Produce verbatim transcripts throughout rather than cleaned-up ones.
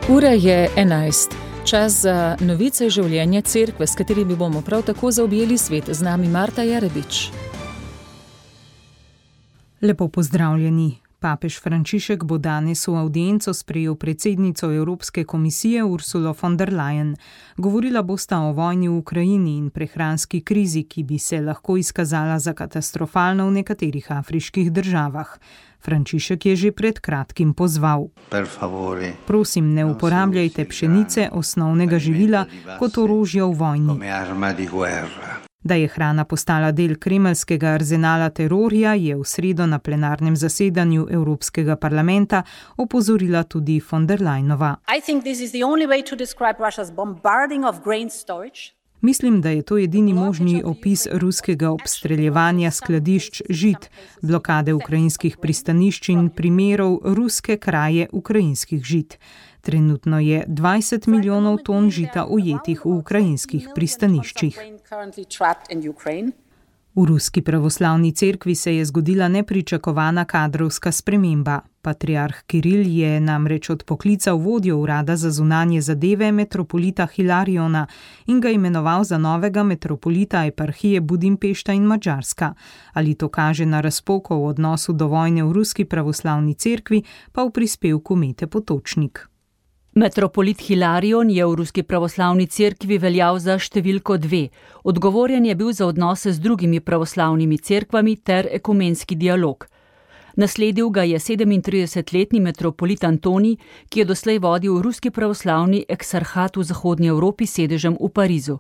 Ura je enajst. Čas za novice življenja cerkve, s katerimi bomo prav tako zaobjeli svet. Z nami Marta Jarebič. Lepo pozdravljeni. Papež Frančišek bo danes v avdienco sprejel predsednico Evropske komisije Ursulo von der Leyen. Govorila bosta o vojni v Ukrajini in prehranski krizi, ki bi se lahko izkazala za katastrofalno v nekaterih afriških državah. Frančišek je že pred kratkim pozval: Prosim, ne uporabljajte pšenice, osnovnega živila, kot orožja v vojni. Da je hrana postala del kremeljskega arzenala terorja, je v sredo na plenarnem zasedanju Evropskega parlamenta opozorila tudi von der Leyenova. Mislim, da je to edini možni opis ruskega obstreljevanja skladišč žit, blokade ukrajinskih pristanišč in primerov ruske kraje ukrajinskih žit. Trenutno je dvajset milijonov ton žita ujetih v ukrajinskih pristaniščih. V Ruski pravoslavni cerkvi se je zgodila nepričakovana kadrovska sprememba. Patriarh Kiril je namreč odpoklical vodjo urada za zunanje zadeve metropolita Hilariona in ga imenoval za novega metropolita eparhije Budimpešta in Madžarska. Ali to kaže na razpoko v odnosu do vojne v Ruski pravoslavni cerkvi, pa v prispevku Mete Potočnik. Metropolit Hilarion je v Ruski pravoslavni cerkvi veljal za številko dve. Odgovoren je bil za odnose z drugimi pravoslavnimi cerkvami ter ekumenski dialog. Nasledil ga je sedemintridesetletni metropolit Antonij, ki je doslej vodil Ruski pravoslavni eksarhat v Zahodnji Evropi s sedežem v Parizu.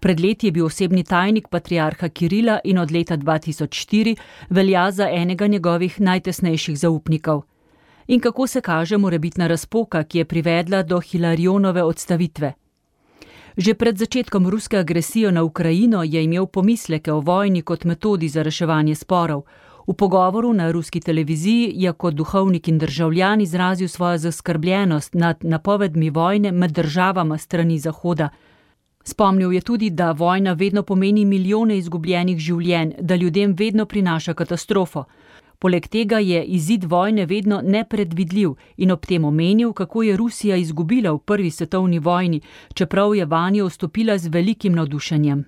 Pred leti je bil osebni tajnik patriarha Kirila in od leta dva tisoč štiri velja za enega njegovih najtesnejših zaupnikov. In kako se kaže morebitna razpoka, ki je privedla do Hilarionove odstavitve? Že pred začetkom ruske agresije na Ukrajino je imel pomisleke o vojni kot metodi za reševanje sporov. V pogovoru na ruski televiziji je kot duhovnik in državljan izrazil svojo zaskrbljenost nad napovedmi vojne med državama strani Zahoda. Spomnil je tudi, da vojna vedno pomeni milijone izgubljenih življenj, da ljudem vedno prinaša katastrofo. Poleg tega je izid vojne vedno nepredvidljiv in ob tem omenil, kako je Rusija izgubila v prvi svetovni vojni, čeprav je vanjo vstopila z velikim navdušenjem.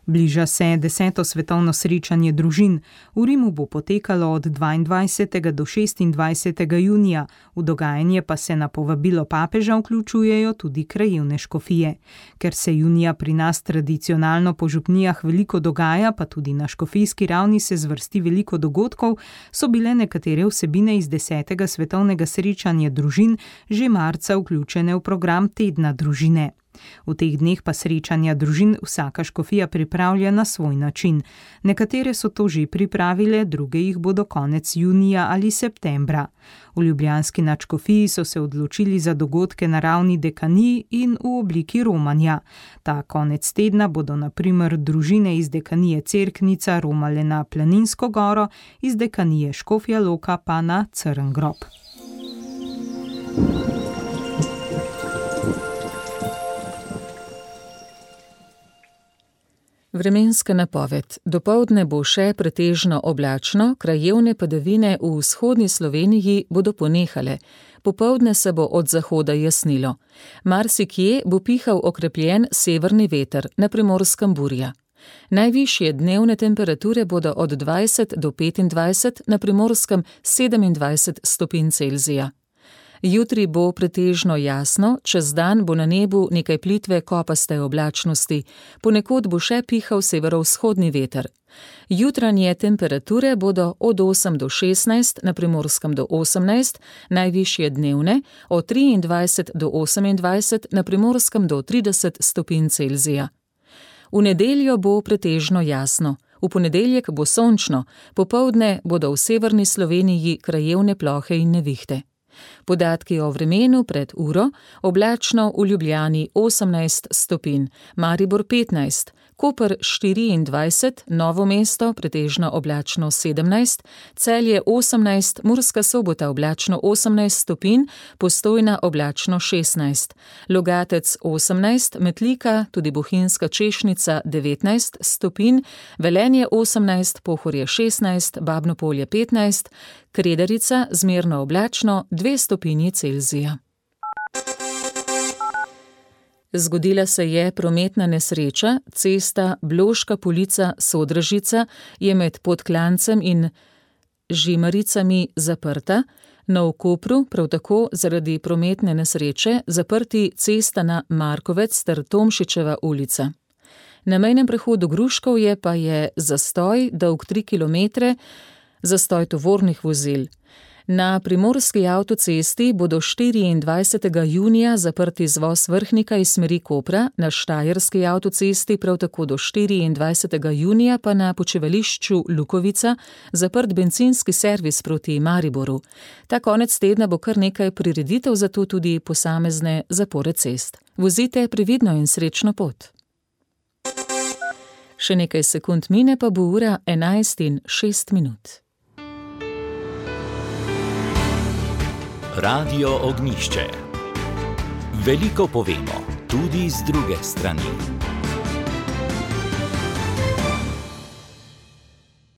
Bliža se deseto svetovno srečanje družin. V Rimu bo potekalo od dvaindvajsetega do šestindvajsetega junija, v dogajanje pa se na povabilo papeža vključujejo tudi krajevne škofije. Ker se junija pri nas tradicionalno po župnijah veliko dogaja, pa tudi na škofijski ravni se zvrsti veliko dogodkov, so bile nekatere vsebine iz desetega svetovnega srečanja družin že marca vključene v program tedna družine. V teh dneh pa srečanja družin vsaka škofija pripravlja na svoj način. Nekatere so to že pripravile, druge jih bodo konec junija ali septembra. V ljubljanski nadškofiji so se odločili za dogodke na ravni dekanij in v obliki romanja. Ta konec tedna bodo na primer družine iz dekanije Cerknica romale na Planinsko goro, iz dekanije Škofja Loka pa na Crn grob. Vremenska napoved. Dopoldne bo še pretežno oblačno, krajevne padavine v vzhodni Sloveniji bodo ponehale. Popoldne se bo od zahoda jasnilo. Marsikje bo pihal okrepljen severni veter, na Primorskem burja. Najvišje dnevne temperature bodo od dvajset do petindvajset, na Primorskem sedemindvajset stopinj Celzija. Jutri bo pretežno jasno, čez dan bo na nebu nekaj plitve kopaste oblačnosti, ponekod bo še pihal severovzhodni veter. Jutranje temperature bodo od osem do šestnajst, na Primorskem do osemnajst, najvišje dnevne, od triindvajset do osemindvajset, na Primorskem do trideset stopinj Celzija. V nedeljo bo pretežno jasno. V ponedeljek bo sončno, popoldne bodo v severni Sloveniji krajevne plohe in nevihte. Podatki o vremenu pred uro: oblačno v Ljubljani osemnajst stopinj, Maribor petnajst, Koper štiriindvajset, Novo mesto pretežno oblačno sedemnajst, Celje osemnajst, Murska Sobota oblačno osemnajst stopinj, Postojna oblačno šestnajst, Logatec osemnajst, Metlika, tudi Bohinjska Češnica devetnajst stopinj, Velenje osemnajst, Pohorje šestnajst, Babno Polje petnajst, Kredarica zmerno oblačno dve stopinji Celzija. Zgodila se je prometna nesreča, cesta Bloška Polica-Sodražica je med Podklancem in Žimaricami zaprta, na v Kopru prav tako zaradi prometne nesreče zaprti cesta na Markovec ter Tomšičeva ulica. Na mejnem prehodu Gruškovje pa je zastoj dolg tri kilometre, zastoj tovornih vozil. Na primorski avtocesti bodo štiriindvajsetega junija zaprti izvoz Vrhnika iz smeri Kopra, na štajerski avtocesti prav tako do štiriindvajsetega junija pa na počivališču Lukovica zaprt bencinski servis proti Mariboru. Ta konec tedna bo kar nekaj prireditev, zato tudi posamezne zapore cest. Vozite previdno in srečno pot. Še nekaj sekund mine, pa bo ura enajst in šest minut. Radio Ognjišče. Veliko povemo, tudi z druge strani.